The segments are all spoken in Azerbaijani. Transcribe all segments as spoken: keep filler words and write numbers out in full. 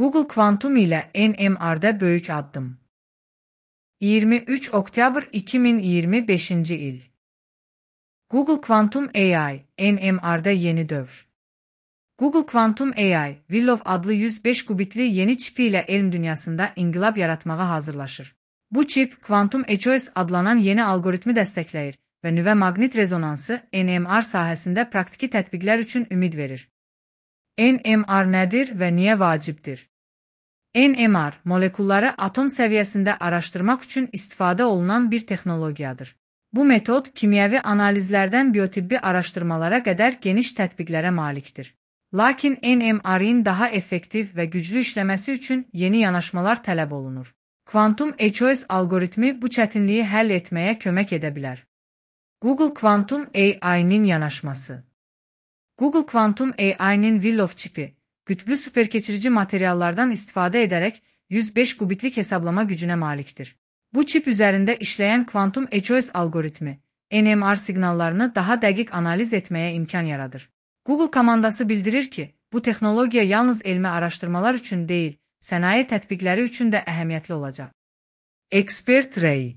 Google Quantum ile N M R'da böyük addım. iyirmi üç oktyabr iki min iyirmi beşinci il. Google Quantum A I, N M R'da yeni dövr. Google Quantum A I, Willow adlı yüz beş qubitli yeni çipi ilə elm dünyasında inqilab yaratmağa hazırlaşır. Bu çip, Quantum H O S adlanan yeni algoritmi dəstəkləyir və nüvə maqnit rezonansı N M R sahəsində praktiki tətbiqlər üçün ümid verir. N M R nədir və niyə vacibdir? N M R, molekulları atom səviyyəsində araşdırmaq üçün istifadə olunan bir texnologiyadır. Bu metod, kimyəvi analizlərdən biotibbi araşdırmalara qədər geniş tətbiqlərə malikdir. Lakin N M R'in daha effektiv və güclü işləməsi üçün yeni yanaşmalar tələb olunur. Quantum H O S algoritmi bu çətinliyi həll etməyə kömək edə bilər. Google Quantum A I'nin yanaşması. Google Quantum A I'nin Willow çipi, qütblü superkeçirici materiallardan istifadə edərək yüz beş qubitlik hesablama gücünə malikdir. Bu çip üzərində işləyən Quantum H O S algoritmi, N M R siqnallarını daha dəqiq analiz etməyə imkan yaradır. Google komandası bildirir ki, bu texnologiya yalnız elmi araşdırmalar üçün deyil, sənaye tətbiqləri üçün də əhəmiyyətli olacaq. Expert Ray.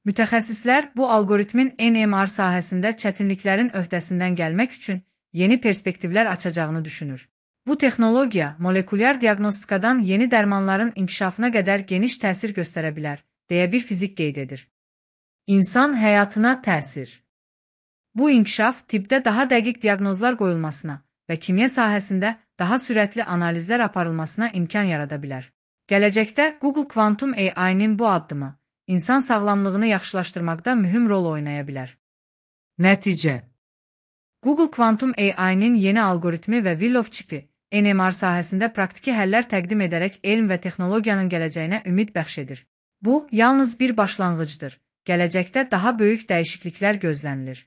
Mütəxəssislər bu algoritmin N M R sahəsində çətinliklərin öhdəsindən gəlmək üçün yeni perspektivlər açacağını düşünür. Bu texnologiya, molekulyar diaqnostikadan yeni dərmanların inkişafına qədər geniş təsir göstərə bilər, deyə bir fizik qeyd edir. İnsan həyatına təsir. Bu inkişaf, tibbdə daha dəqiq diaqnozlar qoyulmasına və kimya sahəsində daha sürətli analizlər aparılmasına imkan yarada bilər. Gələcəkdə Google Quantum A I'nin bu addımı, insan sağlamlığını yaxşılaşdırmaqda mühüm rol oynaya bilər. Nəticə. Google Quantum A I'nin yeni algoritmi və Willow çipi, N M R sahəsində praktiki həllər təqdim edərək elm və texnologiyanın gələcəyinə ümid bəxş edir. Bu, yalnız bir başlanğıcdır. Gələcəkdə daha böyük dəyişikliklər gözlənilir.